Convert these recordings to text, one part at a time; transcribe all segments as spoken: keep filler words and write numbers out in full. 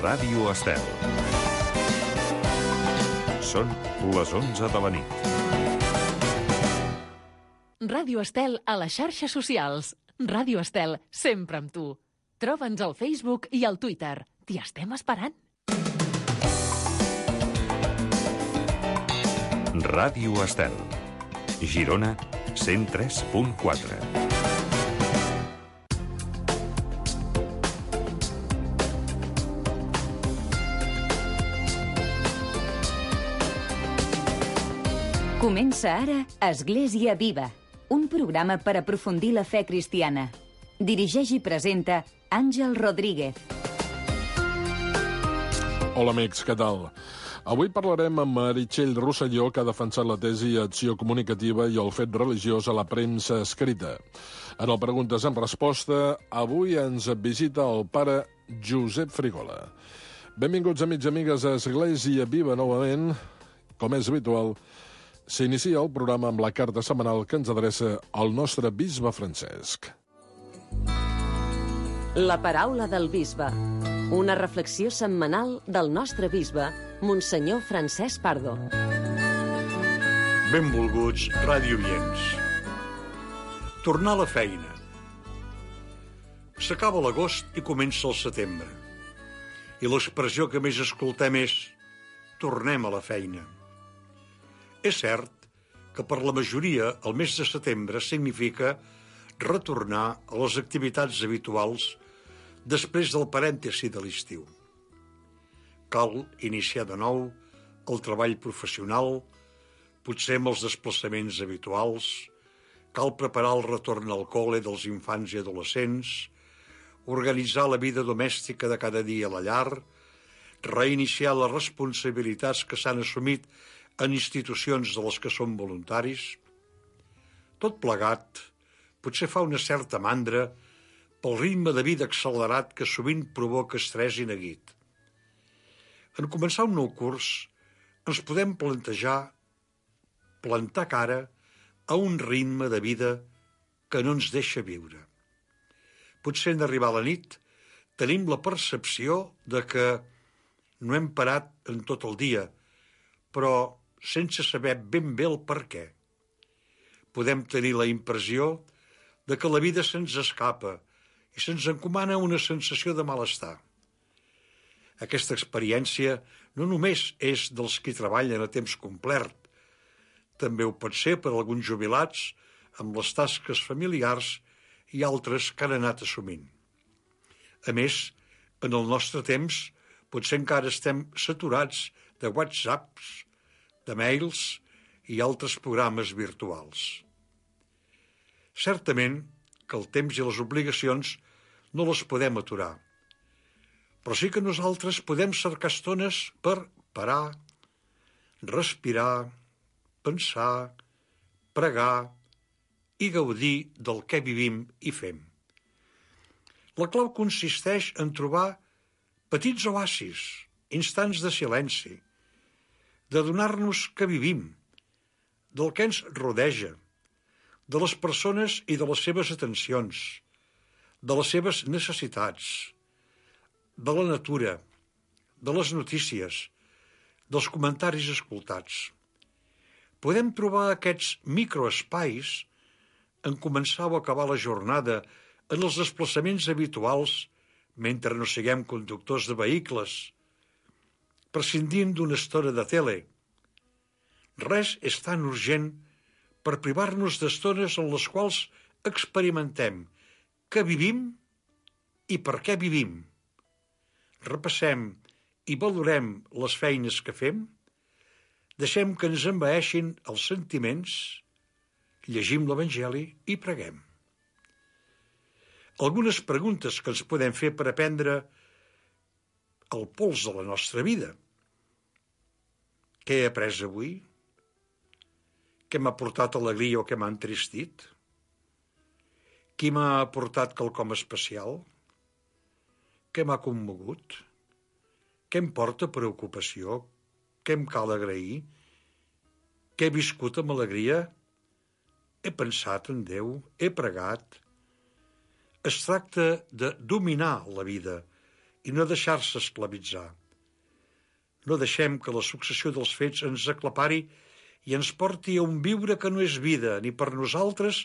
Ràdio Estel. Són les onze de la nit. Ràdio Estel a les xarxes socials. Ràdio Estel, sempre amb tu. Troba'ns al Facebook i al Twitter. T'hi estem esperant. Ràdio Estel. Girona, cent tres punt quatre. Comença ara Església Viva, un programa per aprofundir la fe cristiana. Dirigeix i presenta Àngel Rodríguez. Hola amics, què tal? Avui parlarem amb Meritxell Rosselló, que ha defensat la tesi Acció Comunicativa i el fet religiós a la premsa escrita. En el Preguntes en Resposta, avui ens visita el pare Josep Frigola. Benvinguts, amics i amigues, a Església Viva novament. Com és habitual, s'inicia el programa amb la carta setmanal que ens adreça al nostre bisbe Francesc. La paraula del bisbe. Una reflexió setmanal del nostre bisbe, Monsenyor Francesc Pardo. Benvolguts radioients. Tornar a la feina. S'acaba l'agost i comença el setembre. I l'expressió que més escoltem és tornem a la feina. És cert que per la majoria el mes de setembre significa retornar a les activitats habituals després del parèntesi de l'estiu. Cal iniciar de nou el treball professional, potser amb els desplaçaments habituals, cal preparar el retorn al col·le dels infants i adolescents, organitzar la vida domèstica de cada dia a la llar, reiniciar les responsabilitats que s'han assumit en institucions de les que som voluntaris. Tot plegat potser fa una certa mandra pel ritme de vida accelerat que sovint provoca estrès i neguit. En començar un nou curs, ens podem plantejar plantar cara a un ritme de vida que no ens deixa viure. Potser en arribar a la nit tenim la percepció de que no hem parat en tot el dia, però sense saber ben bé el per què. Podem tenir la impressió de que la vida se'ns escapa i se'ns encomana una sensació de malestar. Aquesta experiència no només és dels qui treballen a temps complet, també ho pot ser per alguns jubilats amb les tasques familiars i altres que han anat assumint. A més, en el nostre temps, potser encara estem saturats de whatsapps, de mails i altres programes virtuals. Certament que el temps i les obligacions no les podem aturar, però sí que nosaltres podem cercar estones per parar, respirar, pensar, pregar i gaudir del que vivim i fem. La clau consisteix en trobar petits oasis, instants de silenci, de donar-nos que vivim, del que ens rodeja, de les persones i de les seves atencions, de les seves necessitats, de la natura, de les notícies, dels comentaris escoltats. Podem trobar aquests microespais en començar o acabar la jornada en els desplaçaments habituals mentre no siguem conductors de vehicles, prescindint d'una estona de tele. Res és tan urgent per privar-nos d'estones en les quals experimentem què vivim i per què vivim. Repassem i valorem les feines que fem, deixem que ens envaeixin els sentiments, llegim l'Evangeli i preguem. Algunes preguntes que ens podem fer per aprendre el pols de la nostra vida. Què he après avui? Què m'ha portat alegria o què m'ha entristit? Qui m'ha aportat quelcom especial? Què m'ha commogut? Què em porta preocupació? Què em cal agrair? Què he viscut amb alegria? He pensat en Déu? He pregat? Es tracta de dominar la vida i no deixar-se esclavitzar. No deixem que la successió dels fets ens aclapari i ens porti a un viure que no és vida, ni per nosaltres,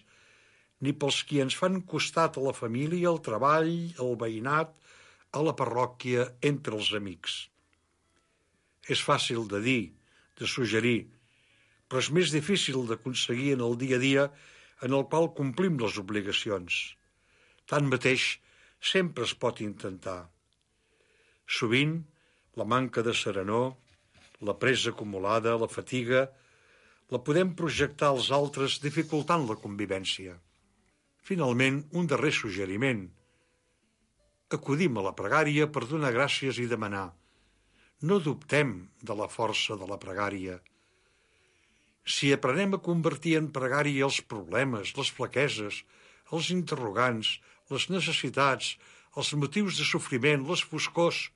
ni pels qui ens fan costat a la família, al treball, al veïnat, a la parròquia, entre els amics. És fàcil de dir, de suggerir, però és més difícil d'aconseguir en el dia a dia en el qual complim les obligacions. Tanmateix, sempre es pot intentar. Sovint, la manca de serenor, la presa acumulada, la fatiga, la podem projectar als altres dificultant la convivència. Finalment, un darrer suggeriment. Acudim a la pregària per donar gràcies i demanar. No dubtem de la força de la pregària. Si aprenem a convertir en pregària els problemes, les flaqueses, els interrogants, les necessitats, els motius de sofriment, les foscors,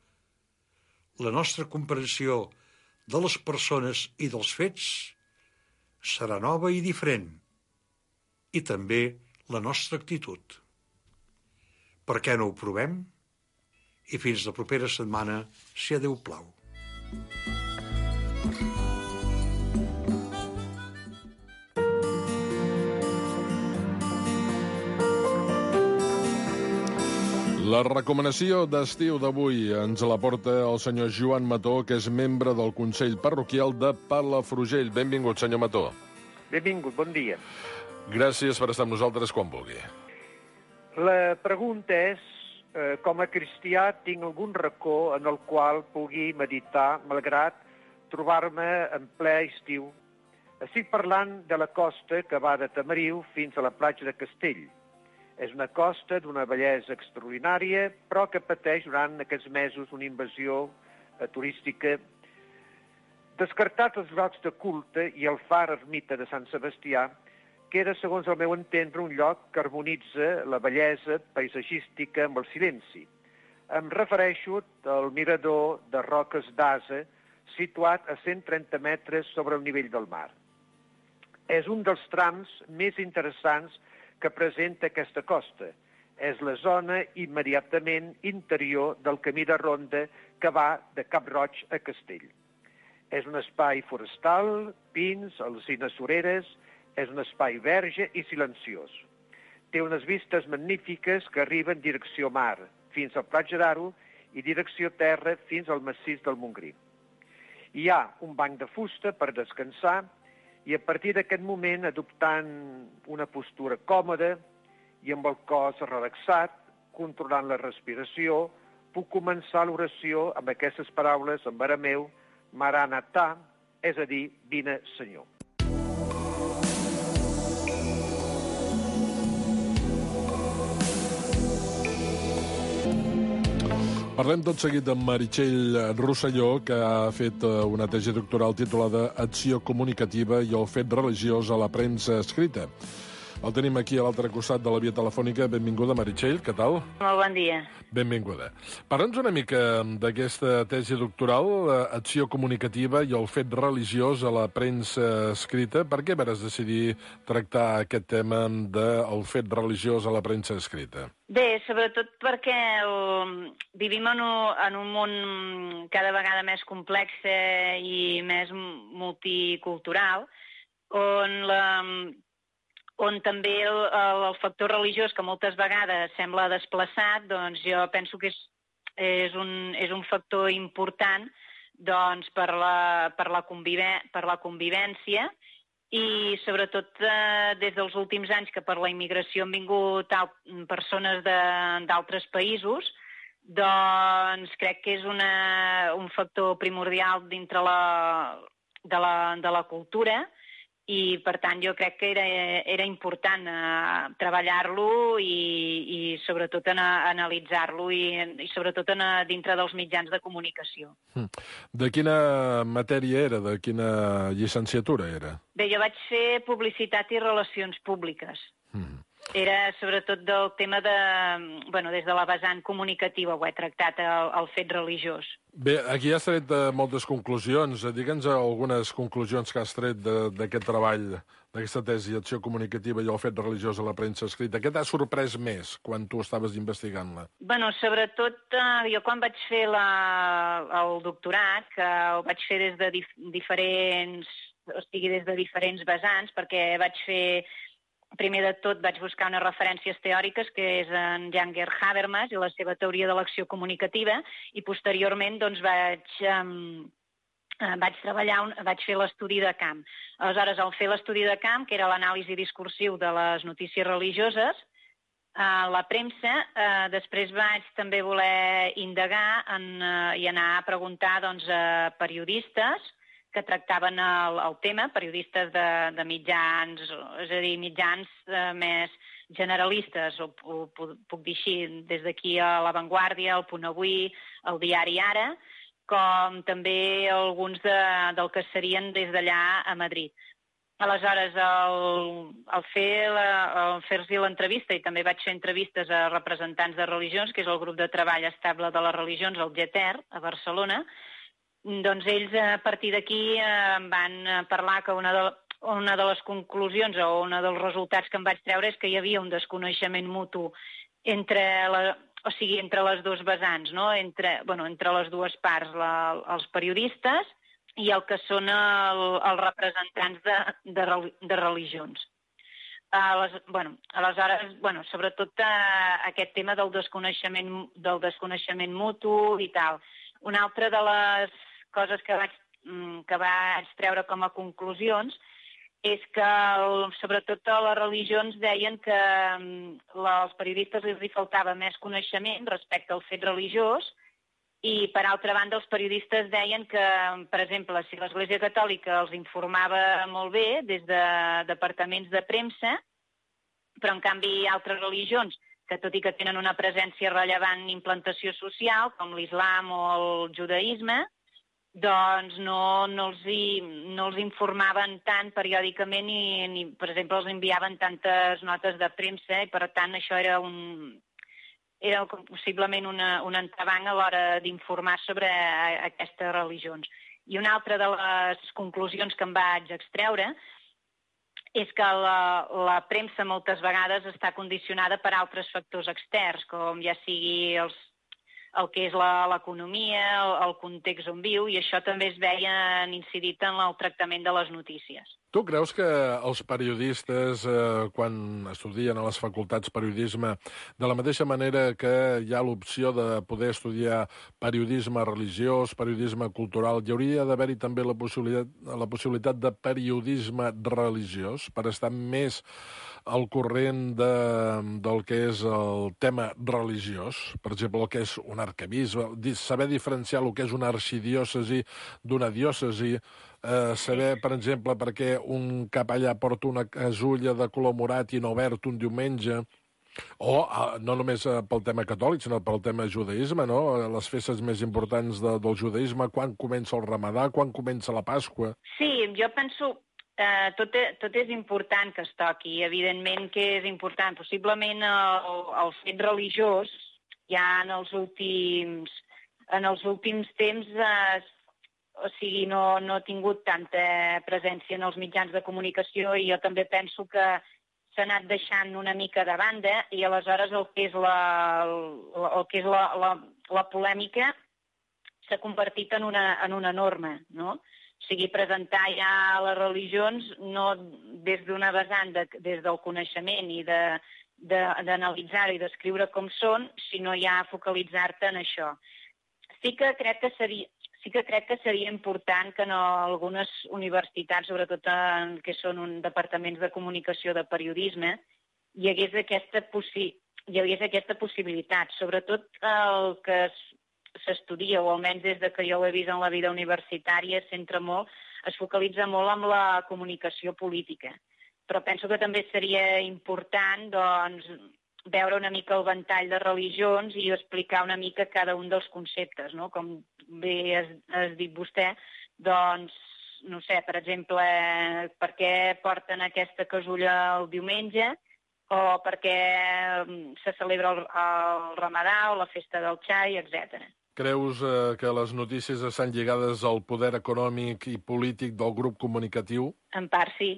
la nostra comprensió de les persones i dels fets serà nova i diferent, i també la nostra actitud. Per què no ho provem? I fins la propera setmana, si a Déu plau. La recomanació d'estiu d'avui ens la porta el senyor Joan Mató, que és membre del Consell Parroquial de Palafrugell. Benvingut, senyor Mató. Benvingut, bon dia. Gràcies per estar amb nosaltres quan vulgui. La pregunta és, eh, com a cristià tinc algun racó en el qual pugui meditar, malgrat trobar-me en ple estiu. Estic parlant de la costa que va de Tamariu fins a la platja de Castell. És una costa d'una bellesa extraordinària, però que pateix durant aquests mesos una invasió eh, turística. Descartats els llocs de culte i el far ermita de Sant Sebastià, queda, segons el meu entendre, un lloc que harmonitza la bellesa paisatgística amb el silenci. Em refereixo al mirador de Roques d'Ase, situat a cent trenta metres sobre el nivell del mar. És un dels trams més interessants que presenta aquesta costa. És la zona immediatament interior del camí de ronda que va de Cap Roig a Castell. És un espai forestal, pins, alzines sureres, és un espai verge i silenciós. Té unes vistes magnífiques que arriben direcció mar, fins al Platja d'Aro, i direcció terra fins al massís del Montgrí. Hi ha un banc de fusta per descansar i a partir d'aquest moment, adoptant una postura còmoda i amb el cos relaxat, controlant la respiració, puc començar l'oració amb aquestes paraules en arameu, Maranatà, és a dir, vine Senyor. Parlem tot seguit amb Meritxell Rosselló, que ha fet una tesi doctoral titulada Acció comunicativa i el fet religiós a la premsa escrita. El tenim aquí a l'altre costat de la via telefònica. Benvinguda, Meritxell, què tal? Molt bon dia. Benvinguda. Parla'ns una mica d'aquesta tesi doctoral, Acció comunicativa i el fet religiós a la premsa escrita. Per què vas decidir tractar aquest tema del fet religiós a la premsa escrita? Bé, sobretot perquè el... vivim en un, en un món cada vegada més complex i més multicultural, on la... on també el, el factor religiós, que moltes vegades sembla desplaçat, doncs jo penso que és, és, un, és un factor important doncs, per, la, per, la convive, per la convivència i sobretot eh, des dels últims anys que per la immigració han vingut tal, persones d'altres països, doncs crec que és una, un factor primordial dintre la, de, la, de la cultura. I, per tant, jo crec que era, era important eh, treballar-lo i, i sobretot en, analitzar-lo i, i sobretot en, dintre dels mitjans de comunicació. De quina matèria era? De quina llicenciatura era? Bé, jo vaig fer publicitat i relacions públiques. Mm. era sobretot del tema de... Bueno, des de la vessant comunicativa ho he tractat, el, el fet religiós. Bé, aquí has tret uh, moltes conclusions. Digue'ns algunes conclusions que has tret d'aquest treball, d'aquesta tesi, acció comunicativa i el fet religiós a la premsa escrita. Què t'ha sorprès més quan tu estaves investigant-la? Bueno, sobretot uh, jo quan vaig fer la, el doctorat, que ho vaig fer des de dif diferents... o sigui, des de diferents vessants, perquè vaig fer... Primer de tot vaig buscar unes referències teòriques, que és en Janger Habermas i la seva teoria de l'acció comunicativa, i posteriorment doncs, vaig, um, vaig treballar, un, vaig fer l'estudi de camp. Aleshores, al fer l'estudi de camp, que era l'anàlisi discursiu de les notícies religioses, a la premsa, eh, després vaig també voler indagar en, uh, i anar a preguntar doncs, a periodistes que tractaven el, el tema, periodistes de, de mitjans, és a dir, mitjans eh, més generalistes, o, o puc dir així, des d'aquí a La Vanguardia, El Punt Avui, el diari Ara, com també alguns de, del que serien des d'allà a Madrid. Aleshores, al, al fer-los fer l'entrevista, i també vaig fer entrevistes a representants de religions, que és el grup de treball estable de les religions, el G E T E R, a Barcelona, doncs ells a partir d'aquí eh, van parlar que una de, una de les conclusions o un dels resultats que em vaig treure és que hi havia un desconeixement mutu entre, la, o sigui, entre les dues vessants, no? entre, bueno, entre les dues parts, la, els periodistes i el que són el, els representants de, de, de religions. Les, bueno, aleshores, bueno, sobretot eh, aquest tema del desconeixement, del desconeixement mutu i tal. Una altra de les coses que vaig, que vaig treure com a conclusions és que, el, sobretot a les religions, deien que als periodistes els hi faltava més coneixement respecte al fet religiós i, per altra banda, els periodistes deien que, per exemple, si l'Església Catòlica els informava molt bé des de departaments de premsa, però, en canvi, altres religions, que tot i que tenen una presència rellevant en implantació social, com l'islam o el judaïsme, doncs no, no, els hi, no els informaven tant periòdicament i, ni, per exemple, els enviaven tantes notes de premsa i, per tant, això era un era possiblement una, un entrebanc a l'hora d'informar sobre aquestes religions. I una altra de les conclusions que em vaig extreure és que la, la premsa moltes vegades està condicionada per altres factors externs, com ja sigui els, el que és l'economia, el, el context on viu, i això també es veia incidit en el tractament de les notícies. Tu creus que els periodistes, eh, quan estudien a les facultats periodisme, de la mateixa manera que hi ha l'opció de poder estudiar periodisme religiós, periodisme cultural, hi hauria d'haver-hi també la possibilitat, la possibilitat de periodisme religiós per estar més al corrent de, del que és el tema religiós, per exemple, el que és un arquebisbe, saber diferenciar el que és una arxidiòcesi d'una diòcesi, eh, saber, per exemple, per què un capellà porta una casulla de color morat i no verd un diumenge, o eh, no només pel tema catòlic, sinó pel tema judaïsme, no? Les festes més importants de, del judaïsme, quan comença el Ramadà, quan comença la Pasqua. Sí, jo penso... Uh, tot, tot és important que es toqui, evidentment que és important. Possiblement el, el fet religiós ja en els últims, en els últims temps eh, o sigui, no, no ha tingut tanta presència en els mitjans de comunicació i jo també penso que s'ha anat deixant una mica de banda i aleshores el que és la, el, el que és la, la, la polèmica s'ha convertit en una, en una norma, no? O sigui, presentar ja les religions no des d'una vessant, de, des del coneixement i d'analitzar de, i d'escriure com són, sinó ja focalitzar-te en això. Sí que crec que seria, sí que crec que seria important que en algunes universitats, sobretot en que són un departaments de comunicació de periodisme, hi hagués aquesta, possi hi hagués aquesta possibilitat. Sobretot el que es s'estudia, o almenys des de que jo ho he vist en la vida universitària, es centra molt, es focalitza molt en la comunicació política. Però penso que també seria important doncs, veure una mica el ventall de religions i explicar una mica cada un dels conceptes, no? Com bé has, has dit vostè, doncs, no sé, per exemple, per què porten aquesta casulla el diumenge, o perquè se celebra el, el Ramadà o la festa del xai, etcètera. Creus eh, que les notícies estan lligades al poder econòmic i polític del grup comunicatiu? En part sí.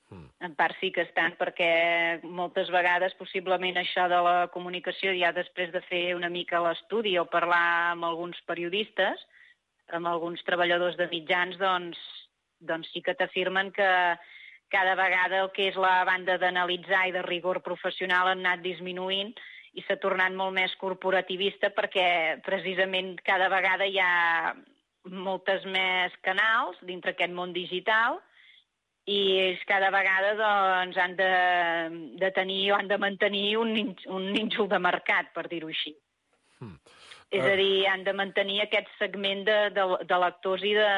Mm. En part sí que estan, perquè moltes vegades possiblement això de la comunicació, ja després de fer una mica l'estudi o parlar amb alguns periodistes, amb alguns treballadors de mitjans, doncs, doncs sí que t'afirmen que cada vegada el que és la banda d'analitzar i de rigor professional han anat disminuint i s'ha tornat molt més corporativista perquè precisament cada vegada hi ha moltes més canals dintre aquest món digital i ells cada vegada doncs, han de, de tenir o han de mantenir un, un nínxol de mercat, per dir-ho així. Hmm. Uh... És a dir, han de mantenir aquest segment de, de, de lectors i, de,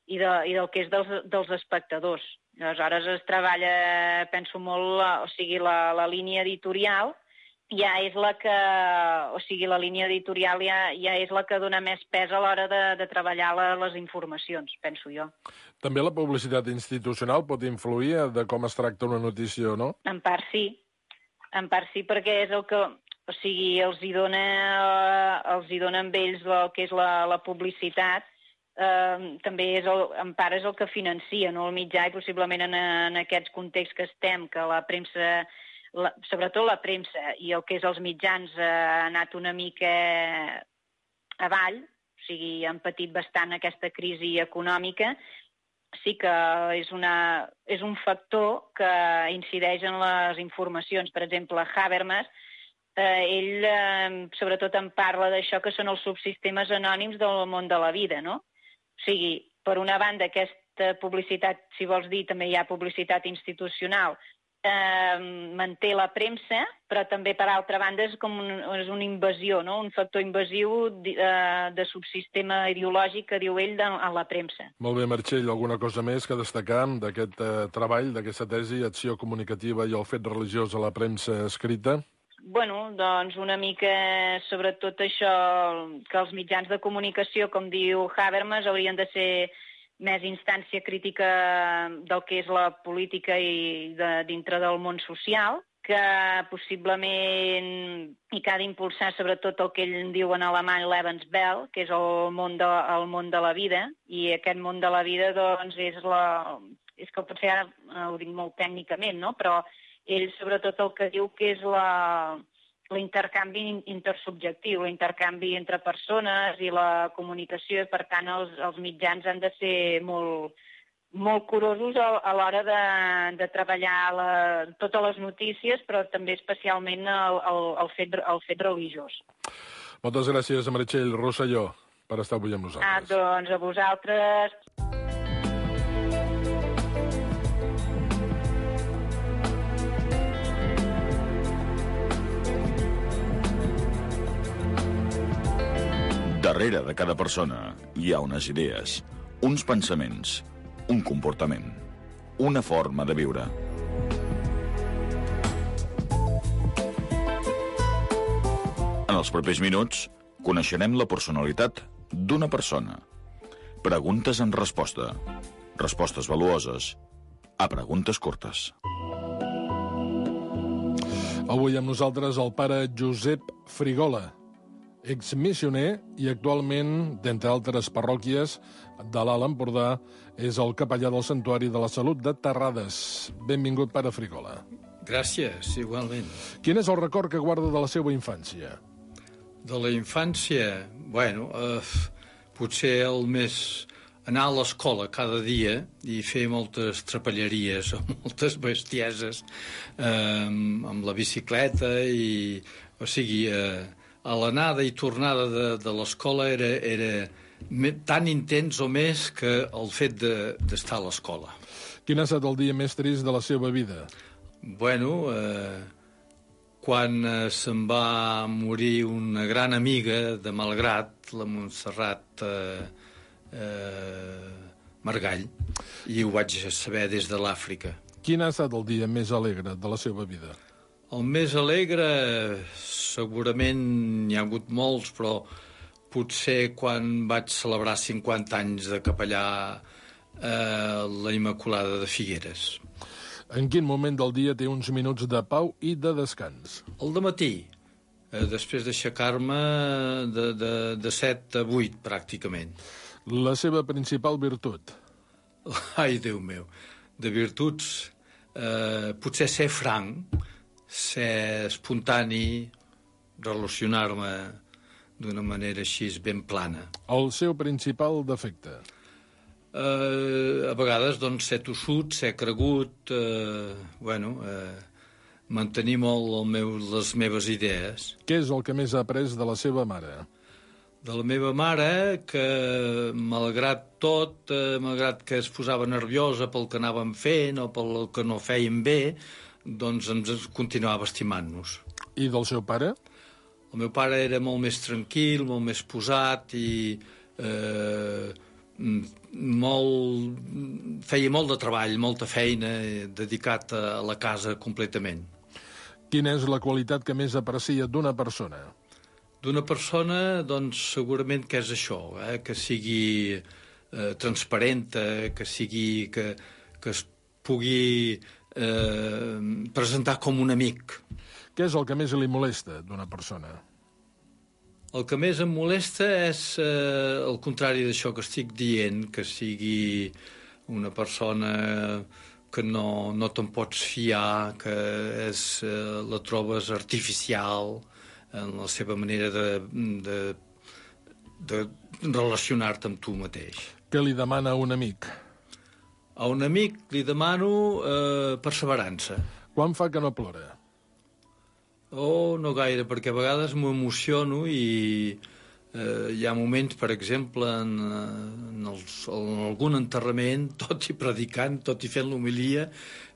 i, de, i del que és dels, dels espectadors. Aleshores es treballa, penso molt, o sigui, la, la línia editorial ja és la que, o sigui, la línia editorial ja, ja és la que dona més pes a l'hora de, de treballar la, les informacions, penso jo. També la publicitat institucional pot influir de com es tracta una notícia o no? En part sí, en part sí, perquè és el que, o sigui, els hi dona, els hi dona amb ells el que és la, la publicitat, eh, també és el, en part és el que financia, no?, el mitjà, i possiblement en, en aquests contexts que estem, que la premsa... La, sobretot la premsa i el que és els mitjans eh, ha anat una mica avall, o sigui, han patit bastant aquesta crisi econòmica, sí que és, una, és un factor que incideix en les informacions. Per exemple, Habermas, eh, ell eh, sobretot en parla d'això que són els subsistemes anònims del món de la vida, no? O sigui, per una banda, aquesta publicitat, si vols dir, també hi ha publicitat institucional, Eh, manté la premsa, però també, per altra banda, és com un, és una invasió, no?, un factor invasiu de, de subsistema ideològic que diu ell de, en la premsa. Molt bé, Meritxell, alguna cosa més que destacar d'aquest eh, treball, d'aquesta tesi, acció comunicativa i el fet religiós a la premsa escrita? Bueno, doncs una mica sobretot això, que els mitjans de comunicació, com diu Habermas, haurien de ser més instància crítica del que és la política i de, dintre del món social, que possiblement i que ha d'impulsar sobretot el que ell en diu en alemany Lebenswelt, que és el món de, el món de la vida, i aquest món de la vida doncs és la... és que potser ara ho dic molt tècnicament, no?, però ell sobretot el que diu que és la... l'intercanvi intersubjectiu, l'intercanvi entre persones i la comunicació, i per tant els, els mitjans han de ser molt, molt curosos a, a l'hora de, de treballar la, totes les notícies, però també especialment el, el, el, fet, el fet religiós. Moltes gràcies, Meritxell Rosselló, per estar avui amb nosaltres. Ah, doncs a vosaltres... Darrere de cada persona hi ha unes idees, uns pensaments, un comportament, una forma de viure. En els propers minuts coneixerem la personalitat d'una persona. Preguntes en resposta. Respostes valuoses a preguntes curtes. Avui amb nosaltres el pare Josep Frigola, exmissioner i actualment, d'entre altres parròquies de l'Alt Empordà, és el capellà del Santuari de la Salut de Terrades. Benvingut, pare Frigola. Gràcies, igualment. Quin és el record que guarda de la seva infància? De la infància, bueno, eh, potser el més... anar a l'escola cada dia i fer moltes trapelleries o moltes bestieses eh, amb la bicicleta i, o sigui, eh, a l'anada i tornada de, de l'escola era, era tan intens o més que el fet d'estar de, a l'escola. Quin ha estat el dia més trist de la seva vida? Bueno, eh, quan eh, se'n va morir una gran amiga de Malgrat, la Montserrat eh, eh, Margall, i ho vaig saber des de l'Àfrica. Quin ha estat el dia més alegre de la seva vida? El més alegre, segurament n'hi ha hagut molts, però potser quan vaig celebrar cinquanta anys de capellà eh, la Immaculada de Figueres. En quin moment del dia té uns minuts de pau i de descans? Al dematí, eh, després d'aixecar-me de, de, de set a vuit, pràcticament. La seva principal virtut? Ai, Déu meu, de virtuts, eh, potser ser franc, ser espontani, relacionar-me d'una manera així ben plana. El seu principal defecte? Eh, a vegades, doncs, ser tossut, ser cregut, eh, bueno, eh, mantenir molt el meu, les meves idees. Què és el que més ha après de la seva mare? De la meva mare, que malgrat tot, eh, malgrat que es posava nerviosa pel que anàvem fent o pel que no fèiem bé, doncs ens continuava estimant-nos. I del seu pare? El meu pare era molt més tranquil, molt més posat i eh, molt, feia molt de treball, molta feina, dedicat a la casa completament. Quina és la qualitat que més aprecia d'una persona? D'una persona, doncs, segurament que és això, eh? Que sigui eh, transparenta, que sigui... que, que es pugui eh, presentar com un amic. Què és el que més li molesta d'una persona? El que més em molesta és eh, el contrari d'això que estic dient, que sigui una persona que no, no te'n pots fiar, que és, eh, la trobes artificial en la seva manera de, de, de relacionar-te amb tu mateix. Què li demana a un amic? A un amic li demano eh, perseverança. Quan fa que no plora? Oh, no gaire, perquè a vegades m'ho emociono i eh, hi ha moments, per exemple, en, en, els, en algun enterrament, tot i predicant, tot i fent l'homilia,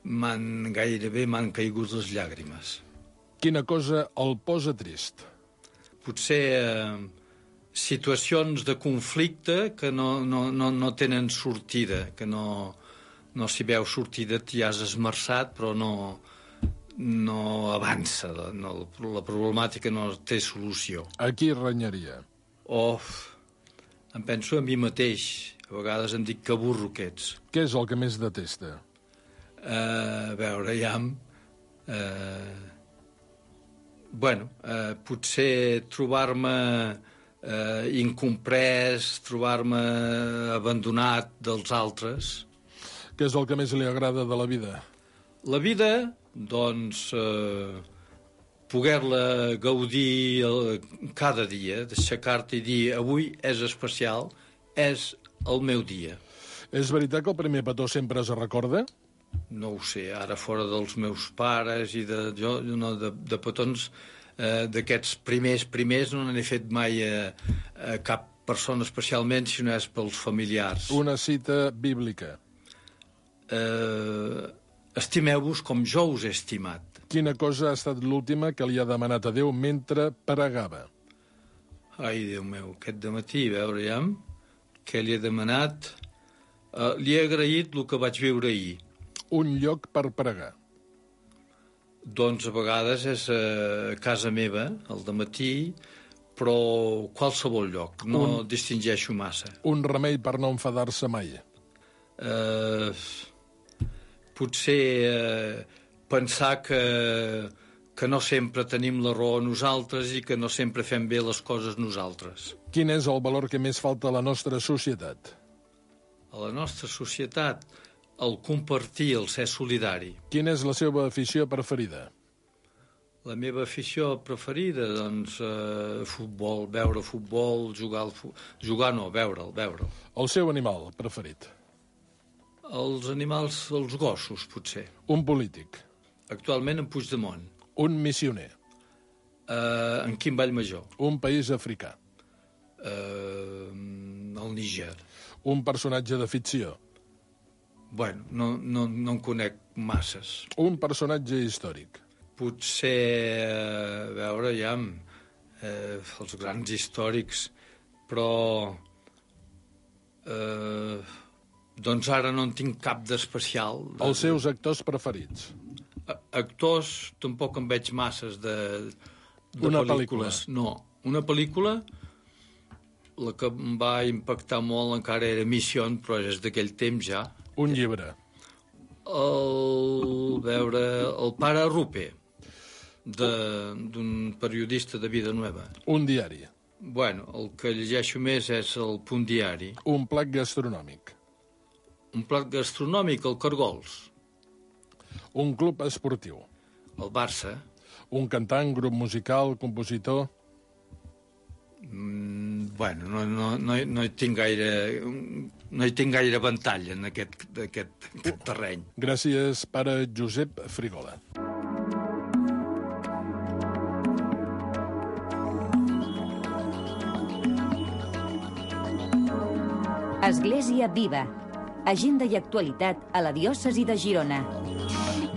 m'han gairebé m'han caigut les llàgrimes. Quina cosa el posa trist? Potser eh, situacions de conflicte que no, no, no, no tenen sortida, que no, no s'hi veu sortida, t'hi has esmerçat, però no, no avança, no, la problemàtica no té solució. A qui renyaria? Oh, em penso a mi mateix. A vegades em dic que burro que ets. Què és el que més detesta? Uh, a veure, ja... Uh, bueno, uh, potser trobar-me uh, incomprès, trobar-me abandonat dels altres. Què és el que més li agrada de la vida? La vida, doncs, uh, poder-la gaudir uh, cada dia, d'aixecar-te i dir avui és especial, és el meu dia. És veritat que el primer petó sempre es recorda? No ho sé, ara fora dels meus pares i de, jo, no, de, de petons eh, d'aquests primers primers no n'he fet mai a, a cap persona especialment, si no és pels familiars. Una cita bíblica. Eh, estimeu-vos com jo us he estimat. Quina cosa ha estat l'última que li ha demanat a Déu mentre pregava? Ai, Déu meu, aquest dematí, a veure ja, què li he demanat? Eh, li he agraït el que vaig viure ahir. Un lloc per pregar. Doncs a vegades és a casa meva, al dematí, però qualsevol lloc, no un, distingeixo massa. Un remei per no enfadar-se mai. Eh, potser eh, pensar que, que no sempre tenim la raó nosaltres i que no sempre fem bé les coses nosaltres. Quin és el valor que més falta a la nostra societat? A la nostra societat... el compartir, el ser solidari. Quina és la seva afició preferida? La meva afició preferida, doncs, eh, futbol, veure futbol, jugar al futbol... Jugar no, veure'l, veure'l. El seu animal preferit? Els animals, els gossos, potser. Un polític? Actualment en Puigdemont. Un missioner? Eh, en Quim Vallmajor. Un país africà? Eh, el Níger. Un personatge de ficció? Bueno, no, no, no en conec masses. Un personatge històric? Potser, a veure, ja, eh, els grans històrics, però eh, doncs ara no en tinc cap d'especial. De... Els seus actors preferits? A actors, tampoc en veig masses de, de una pel·lícules. pel·lícula? No, una pel·lícula... La que em va impactar molt encara era Mission, però és d'aquell temps ja. Un llibre? El, veure, el Pare Rupe, d'un periodista de Vida Nueva. Un diari. Bueno, el que llegeixo més és el Punt Diari. Un plat gastronòmic. Un plat gastronòmic, el Cargols. Un club esportiu. El Barça. Un cantant, grup musical, compositor. Mm, bueno, no, no, no, no hi tinc gaire no hi tinc gaire ventall en aquest, aquest, aquest terreny. Gràcies, pare Josep Frigola. Església Viva. Agenda i actualitat a la diòcesi de Girona.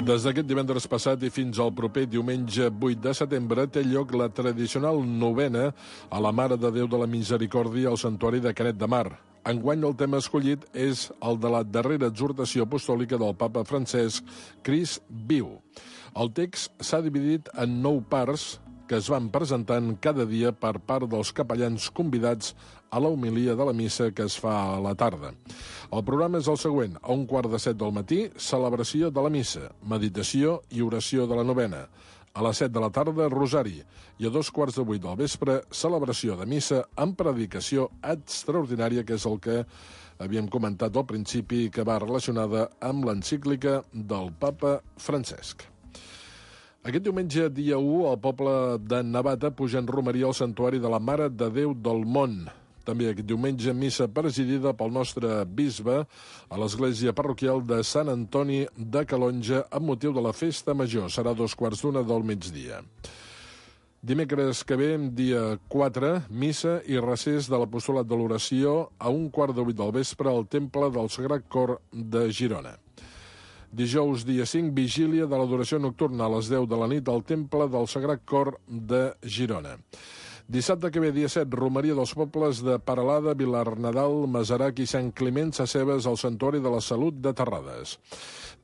Des d'aquest divendres passat i fins al proper diumenge vuit de setembre té lloc la tradicional novena a la Mare de Déu de la Misericòrdia al Santuari de Canet de Mar. Enguany el tema escollit és el de la darrera exhortació apostòlica del papa Francesc, Crist viu. El text s'ha dividit en nou parts que es van presentant cada dia per part dels capellans convidats a la homilia de la missa que es fa a la tarda. El programa és el següent. A un quart de set del matí, celebració de la missa, meditació i oració de la novena. A les set de la tarda, rosari. I a dos quarts de vuit del vespre, celebració de missa amb predicació extraordinària, que és el que havíem comentat al principi, que va relacionada amb l'encíclica del papa Francesc. Aquest diumenge, dia u, el poble de Navata puja en romeria al santuari de la Mare de Déu del Món. També aquest diumenge, missa presidida pel nostre bisbe a l'església parroquial de Sant Antoni de Calonja amb motiu de la festa major. Serà dos quarts d'una del migdia. Dimecres que ve, dia quatre, missa i recés de l'apostolat de l'oració a un quart de vuit del vespre al Temple del Sagrat Cor de Girona. Dijous, dia cinc, vigília de l'adoració nocturna a les deu de la nit al Temple del Sagrat Cor de Girona. Dissabte que ve, dia set, romeria dels pobles de Paralada, Vilarnadal, Masarac i Sant Climent Sacebes al Santuari de la Salut de Terrades.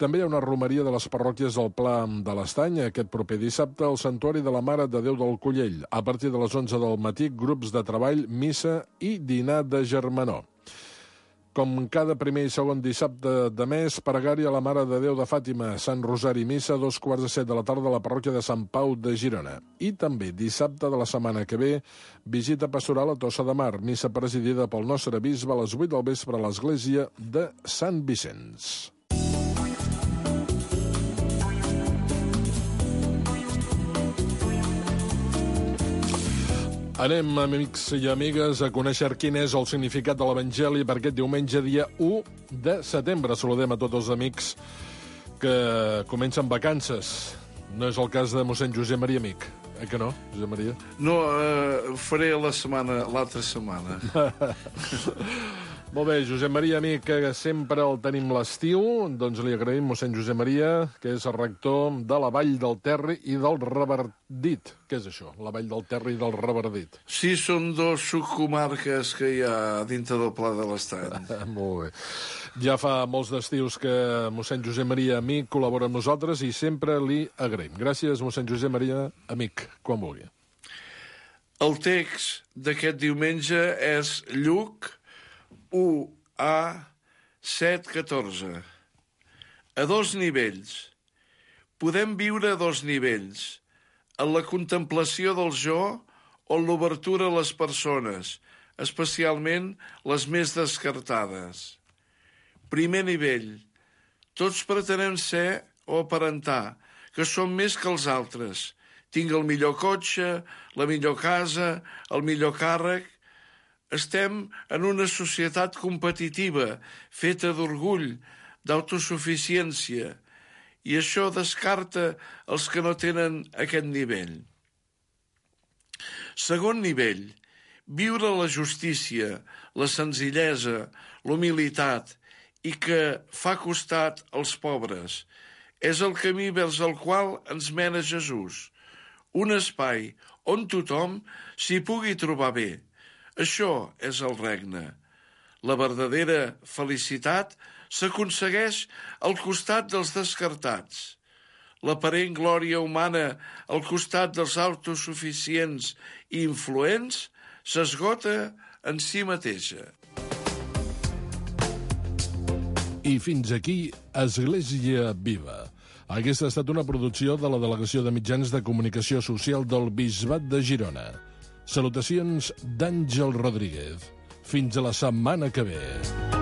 També hi ha una romeria de les parròquies del Pla de l'Estany aquest proper dissabte al Santuari de la Mare de Déu del Collell. A partir de les onze del matí, grups de treball, missa i dinar de germanor. Com cada primer i segon dissabte de mes, pregària a la Mare de Déu de Fàtima, Sant Rosari, missa a dos quarts de set de la tarda a la parròquia de Sant Pau de Girona. I també dissabte de la setmana que ve, visita pastoral a Tossa de Mar, missa presidida pel nostre bisbe a les vuit del vespre a l'església de Sant Vicenç. Anem, amics i amigues, a conèixer quin és el significat de l'Evangeli per aquest diumenge, dia u de setembre. Saludem a tots els amics que comencen vacances. No és el cas de mossèn Josep Maria Amic, eh que no, Josep Maria? No, eh, faré la setmana, l'altra setmana. Molt bé, Josep Maria Amic, que sempre el tenim l'estiu, doncs li agraïm, mossèn Josep Maria, que és el rector de la Vall del Terri i del Revardit. Què és això, la Vall del Terri i del Revardit? Sí, són dos subcomarques que hi ha dintre del Pla de l'Estany. Molt bé. Ja fa molts d'estius que mossèn Josep Maria Amic col·labora amb nosaltres i sempre li agraïm. Gràcies, mossèn Josep Maria Amic, quan vulgui. El text d'aquest diumenge és Lluc u a set catorze. A dos nivells. Podem viure a dos nivells, en la contemplació del jo o en l'obertura a les persones, especialment les més descartades. Primer nivell. Tots pretenem ser o aparentar que som més que els altres. Tinc el millor cotxe, la millor casa, el millor càrrec. Estem en una societat competitiva, feta d'orgull, d'autosuficiència, i això descarta els que no tenen aquest nivell. Segon nivell, viure la justícia, la senzillesa, l'humilitat i que fa costat als pobres. És el camí vers el qual ens mena Jesús. Un espai on tothom s'hi pugui trobar bé. Això és el regne. La verdadera felicitat s'aconsegueix al costat dels descartats. L'aparent glòria humana al costat dels autosuficients i influents s'esgota en si mateixa. I fins aquí Església Viva. Aquesta ha estat una producció de la Delegació de Mitjans de Comunicació Social del Bisbat de Girona. Salutacions d'Àngel Rodríguez. Fins a la setmana que ve.